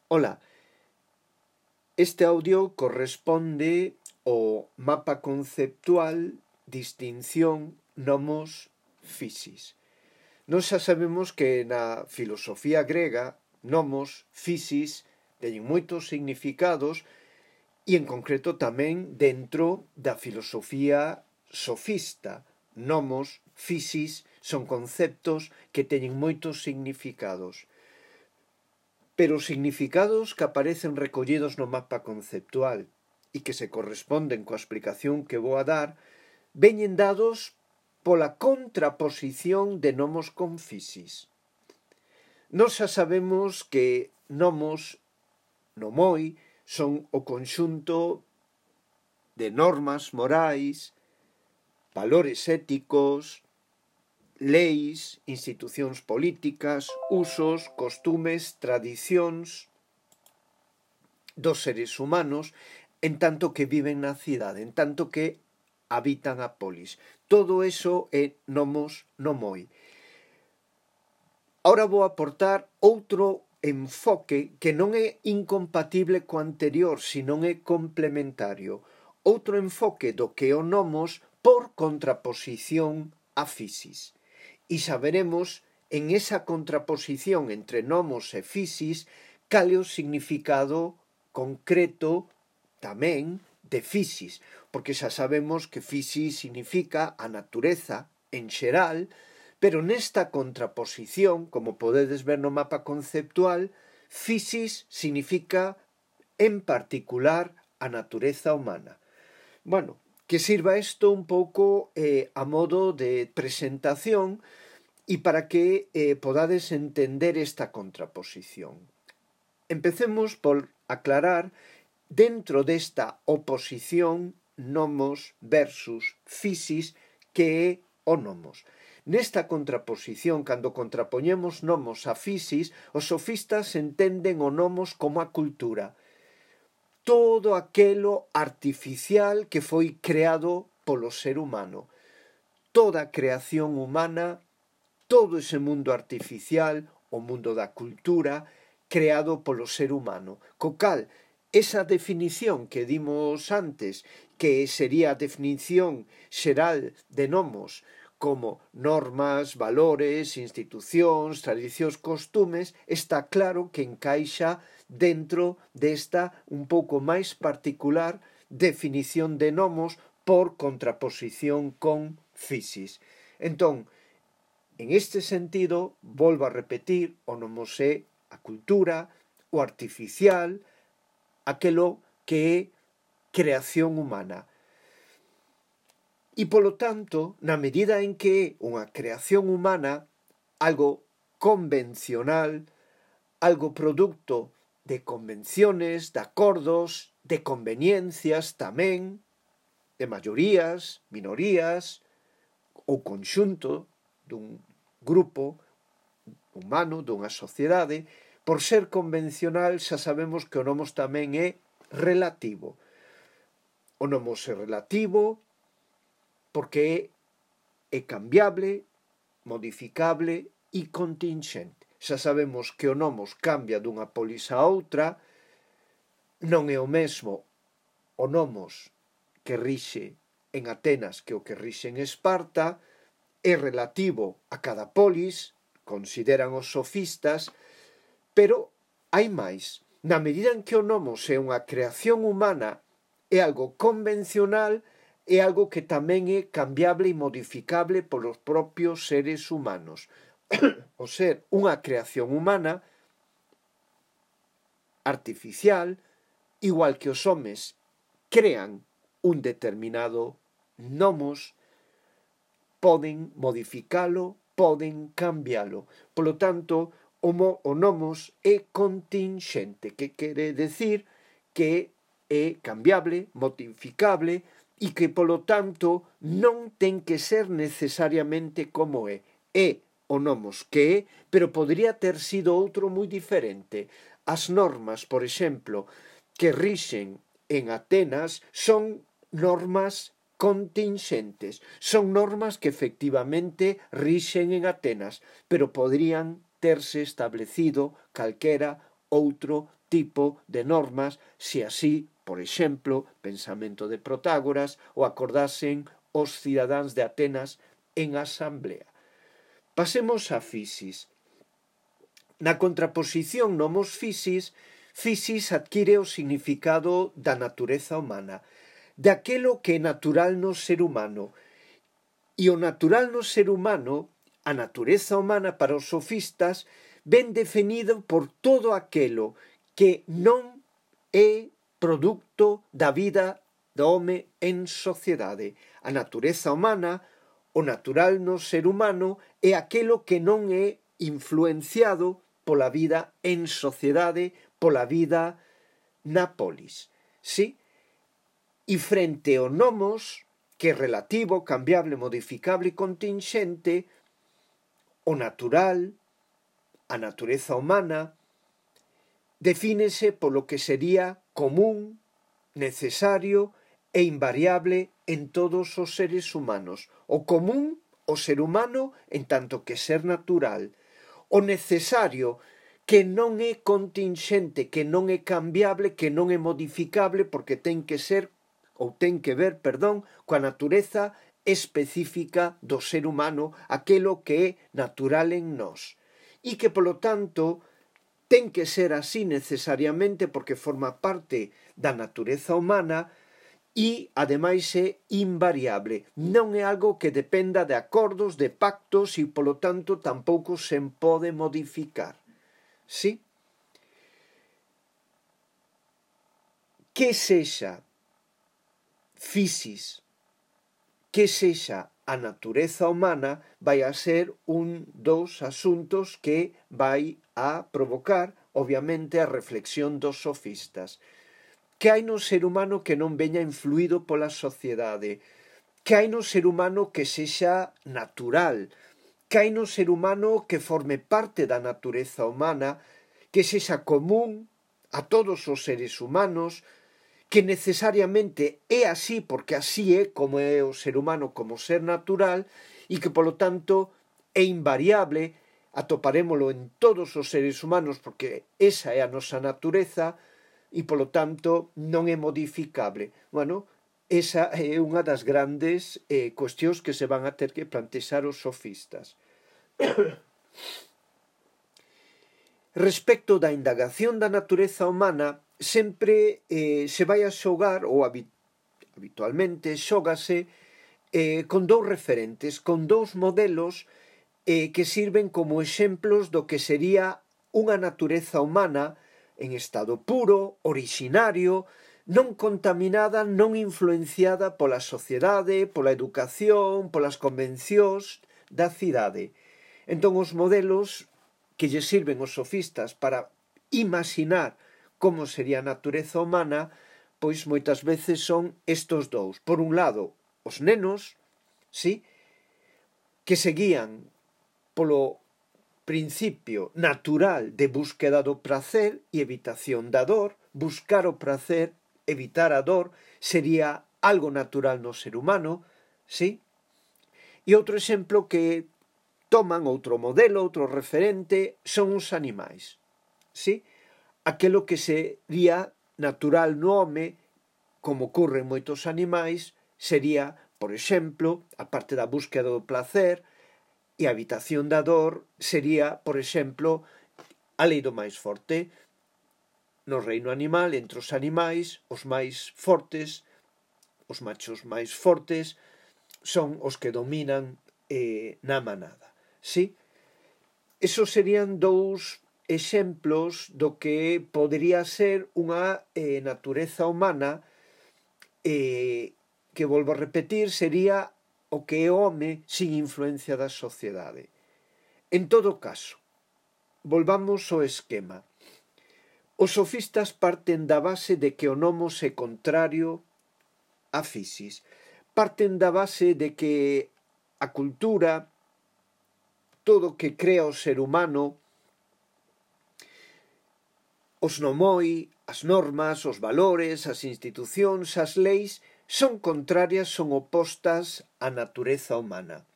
Ola, este audio corresponde ao mapa conceptual distinción nomos physis. Nós xa sabemos que na filosofía grega nomos, physis, teñen moitos significados e en concreto tamén dentro da filosofía sofista. Nomos, physis son conceptos que teñen moitos significados. Pero os significados que aparecen recollidos no mapa conceptual e que se corresponden coa explicación que vou a dar veñen dados pola contraposición de nomos con physis. Nós xa sabemos que nomos, nomoi, son o conxunto de normas morais, valores éticos, leis, institucións políticas, usos, costumes, tradicións dos seres humanos, en tanto que viven na cidade, en tanto que habitan a polis. Todo eso é nomos, nomoi. Ahora vou aportar outro enfoque que non é incompatible co anterior, sino é complementario. Outro enfoque do que é o nomos por contraposición a physis. E saberemos en esa contraposición entre nomos e physis cal é o significado concreto tamén de physis, porque xa sabemos que physis significa a natureza en xeral, pero nesta contraposición, como podedes ver no mapa conceptual, physis significa en particular a natureza humana. Bueno, que sirva isto un pouco a modo de presentación e para que podades entender esta contraposición. Empecemos por aclarar dentro desta oposición nomos versus physis que é o nomos. Nesta contraposición, cando contrapoñemos nomos a physis, os sofistas entenden o nomos como a cultura. Todo aquelo artificial que foi creado polo ser humano. Toda a creación humana, todo ese mundo artificial, o mundo da cultura, creado polo ser humano. Co cal, esa definición que dimos antes, que sería a definición xeral de nomos, como normas, valores, institucións, tradicións, costumes, está claro que encaixa dentro desta un pouco máis particular definición de nomos por contraposición con physis. Entón, en este sentido, volvo a repetir, o nomos é a cultura, o artificial, aquelo que é creación humana. E, polo tanto, na medida en que é unha creación humana, algo convencional, algo producto de convenciones, de acordos, de conveniencias tamén, de maiorías, minorías, ou conxunto dun grupo humano, dunha sociedade. Por ser convencional xa sabemos que o nomos tamén é relativo. O nomos é relativo porque é cambiable, modificable e contingente. Xa sabemos que o nomos cambia dunha polis a outra, non é o mesmo o nomos que rixe en Atenas que o que rixe en Esparta, é relativo a cada polis, consideran os sofistas, pero hai máis. Na medida en que o nomos é unha creación humana, é algo convencional, é algo que tamén é cambiable e modificable polos propios seres humanos. O ser unha creación humana artificial, igual que os homes crean un determinado nomos, poden modificalo, poden cambialo. Polo tanto, o nomos é contingente, que quere decir que é cambiable, modificable e que, polo tanto, non ten que ser necesariamente como é. É o nomos que é, pero podría ter sido outro moi diferente. As normas, por exemplo, que rixen en Atenas son normas contingentes, son normas que efectivamente rixen en Atenas, pero podrían terse establecido calquera outro tipo de normas se así, por exemplo, pensamento de Protágoras, o acordasen os cidadáns de Atenas en asamblea. Pasemos a fisis. Na contraposición nomos fisis, fisis adquire o significado da natureza humana, daquelo que é natural no ser humano. E o natural no ser humano, a natureza humana para os sofistas, ven definido por todo aquelo que non é produto da vida do home en sociedade. A natureza humana, o natural no ser humano, é aquelo que non é influenciado pola vida en sociedade, pola vida na polis. Sí? E frente ao nomos, que é relativo, cambiable, modificable e contingente, o natural, a natureza humana, defínese polo que sería común, necesario e invariable en todos os seres humanos. O común, o ser humano, en tanto que ser natural. O necesario, que non é contingente, que non é cambiable, que non é modificable, porque ten que ser, ou ten que ver, coa natureza específica do ser humano, aquelo que é natural en nós. E que, polo tanto, ten que ser así necesariamente porque forma parte da natureza humana e, ademais, é invariable. Non é algo que dependa de acordos, de pactos e, polo tanto, tampouco se pode modificar. Sí? Que sexa fisis, que sexa a natureza humana, vai a ser un dos asuntos que vai a provocar, obviamente, a reflexión dos sofistas. Que hai no ser humano que non veña influído pola sociedade? Que hai no ser humano que sexa natural? Que hai no ser humano que forme parte da natureza humana, que sexa común a todos os seres humanos, que necesariamente é así porque así é como é o ser humano como ser natural e que, polo tanto, é invariable, atoparémolo en todos os seres humanos porque esa é a nosa natureza e, polo tanto, non é modificable. Bueno, esa é unha das grandes cuestións que se van a ter que plantexar os sofistas. Respecto da indagación da natureza humana, sempre se vai a xogar, ou habitualmente xógase, con dous referentes, con dous modelos que sirven como exemplos do que sería unha natureza humana en estado puro, originario, non contaminada, non influenciada pola sociedade, pola educación, polas convencións da cidade. Entón os modelos que lle sirven os sofistas para imaginar como sería a natureza humana, pois moitas veces son estos dous. Por un lado, os nenos, sí, que seguían polo principio natural de búsqueda do prazer e evitación da dor. Buscar o prazer, evitar a dor, sería algo natural no ser humano, sí? E outro exemplo que toman, outro modelo, outro referente, son os animais, sí? Aquelo que sería natural no home, como ocorre en moitos animais, sería, por exemplo, a parte da búsqueda do placer e a evitación da dor, sería, por exemplo, a lei do máis forte. No reino animal, entre os animais, os máis fortes, os machos máis fortes, son os que dominan na manada. Sí? Esos serían dous exemplos do que podría ser unha natureza humana que, volvo a repetir, sería o que é o home sin influencia da sociedade. En todo caso, volvamos ao esquema. Os sofistas parten da base de que o nomos é contrario a fisis. Parten da base de que a cultura, todo o que crea o ser humano, os nomoi, as normas, os valores, as institucións, as leis, son contrarias, son opostas á natureza humana,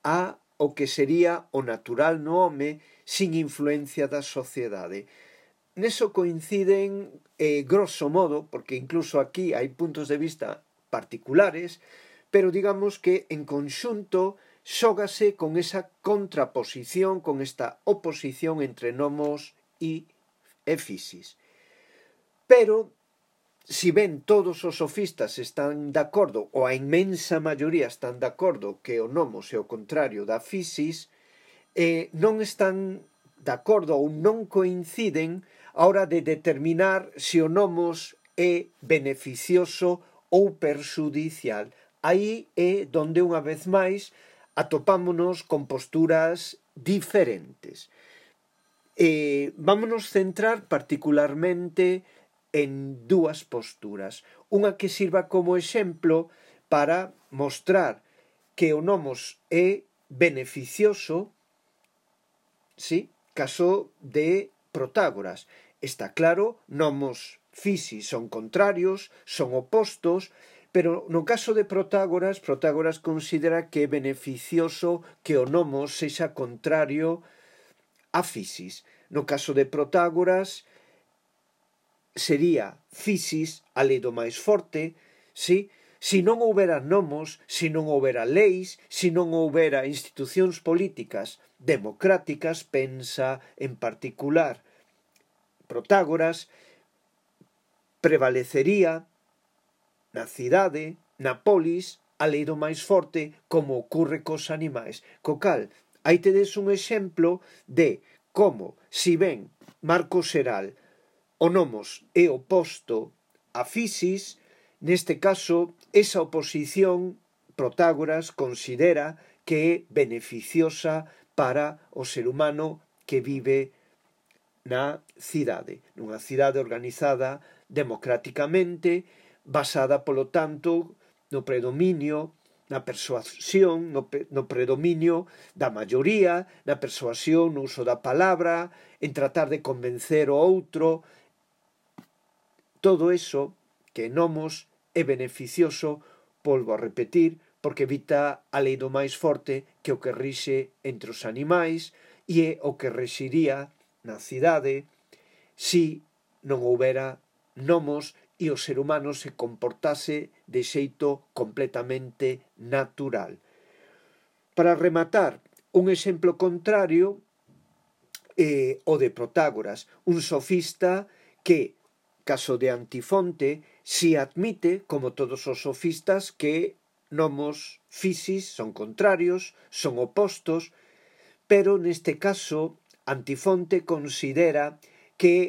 a o que sería o natural no home sin influencia da sociedade. neso coinciden grosso modo, porque incluso aquí hai puntos de vista particulares, pero digamos que en conxunto xógase con esa contraposición, con esta oposición entre nomos e fisis. Pero, si ben todos os sofistas están de acordo, ou a inmensa maioría están de acordo que o nomos é o contrario da fisis, non están de acordo ou non coinciden a hora de determinar se o nomos é beneficioso ou perxudicial. Aí é donde unha vez máis atopámonos con posturas diferentes. Vámonos centrar particularmente en dúas posturas. Unha que sirva como exemplo para mostrar que o nomos é beneficioso, sí, caso de Protágoras. Está claro, nomos fisis son contrarios, son opostos, pero no caso de Protágoras, Protágoras considera que é beneficioso que o nomos sexa contrario a fisis. No caso de Protágoras, sería fisis a lei do máis forte, sí? Se non houbera nomos, se non houbera leis, se non houbera institucións políticas democráticas, pensa en particular Protágoras, prevalecería na cidade, na polis, a lei do máis forte, como ocurre cos animais. Co cal, aí tedes un exemplo de como, si ben marco xeral, o nomos é oposto a fisis, neste caso, esa oposición Protágoras considera que é beneficiosa para o ser humano que vive na cidade, nunha cidade organizada democráticamente, basada, polo tanto, no predominio, na persuasión, no predominio da maioría, na persuasión, no uso da palabra, en tratar de convencer o outro. Todo eso que nomos é beneficioso, volvo a repetir, porque evita a lei do máis forte, que o que rixe entre os animais, e é o que rexiría na cidade si non houbera nomos e o ser humano se comportase de xeito completamente natural. Para rematar, un exemplo contrario o de Protágoras, un sofista que, caso de Antifonte, si admite, como todos os sofistas, que nomos fisis son contrarios, son opostos, pero neste caso Antifonte considera que é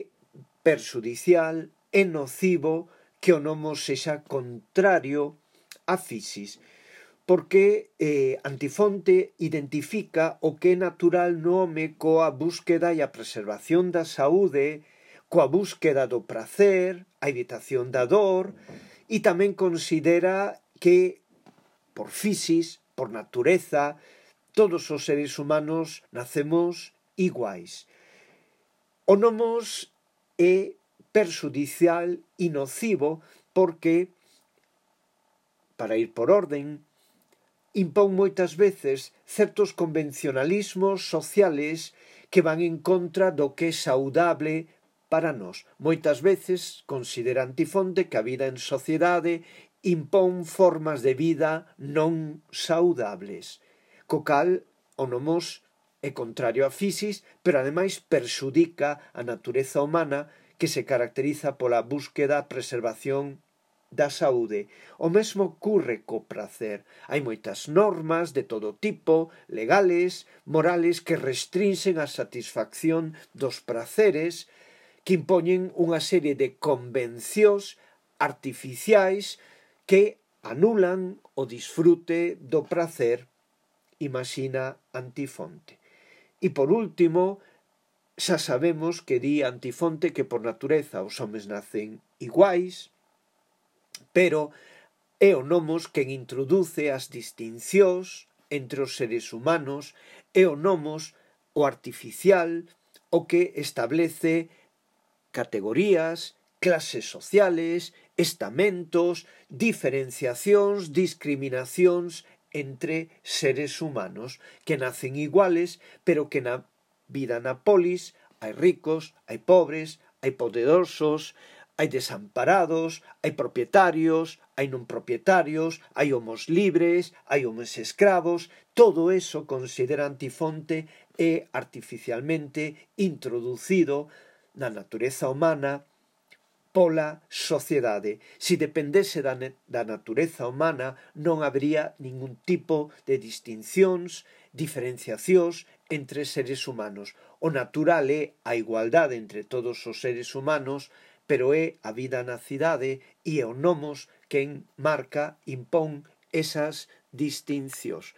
perxudicial e nocivo que o nomos sexa contrario a fisis, porque Antifonte identifica o que é natural no home coa búsqueda e a preservación da saúde, coa búsqueda do prazer, a evitación da dor, e tamén considera que, por fisis, por natureza, todos os seres humanos nacemos iguais. O nomos é perxudicial e nocivo porque, para ir por orden, impón moitas veces certos convencionalismos sociales que van en contra do que é saudable para nós. Moitas veces considera Antifonte que a vida en sociedade impón formas de vida non saudables, co cal o nomos é contrario a fisis, pero ademais perxudica a natureza humana que se caracteriza pola búsqueda e preservación da saúde. O mesmo ocurre co prazer. Hai moitas normas de todo tipo, legales, morales, que restrinxen a satisfacción dos prazeres, que impoñen unha serie de convencións artificiais que anulan o disfrute do prazer, imagina Antifonte. E por último, xa sabemos que di Antifonte que por natureza os homes nacen iguais, pero é o nomos quen introduce as distincións entre os seres humanos, é o nomos, o artificial, o que establece categorías, clases sociales, estamentos, diferenciacións, discriminacións entre seres humanos que nacen iguales, pero que na vida na polis hai ricos, hai pobres, hai poderosos, hai desamparados, hai propietarios, hai non propietarios, hai homos libres, hai homos escravos, todo eso considera Antifonte é artificialmente introducido na natureza humana pola sociedade. Si dependese da natureza humana non habría ningún tipo de distincións, diferenciacións entre seres humanos. O natural é a igualdade entre todos os seres humanos, pero é a vida na cidade e é o nomos quen marca, impón esas distincións.